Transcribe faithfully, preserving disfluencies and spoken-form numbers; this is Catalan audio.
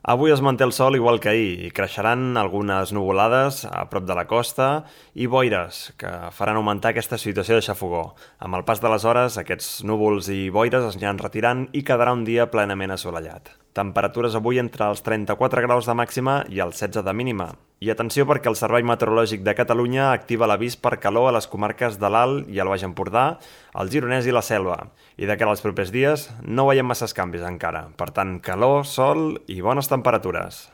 Avui es manté el sol igual que ahir i creixeran algunes nuvolades a prop de la costa i boires que faran augmentar aquesta situació de xafogó. Amb el pas de les hores, aquests núvols i boires es aniran retirant i quedarà un dia plenament assolellat. Temperatures avui entre els trenta-quatre graus de màxima i els setze de mínima. I atenció perquè el Servei Meteorològic de Catalunya activa l'avís per calor a les comarques de l'Alt i el Baix Empordà, el Gironès i la Selva. I de cara als propers dies no veiem masses canvis encara. Per tant, calor, sol i bones temperatures.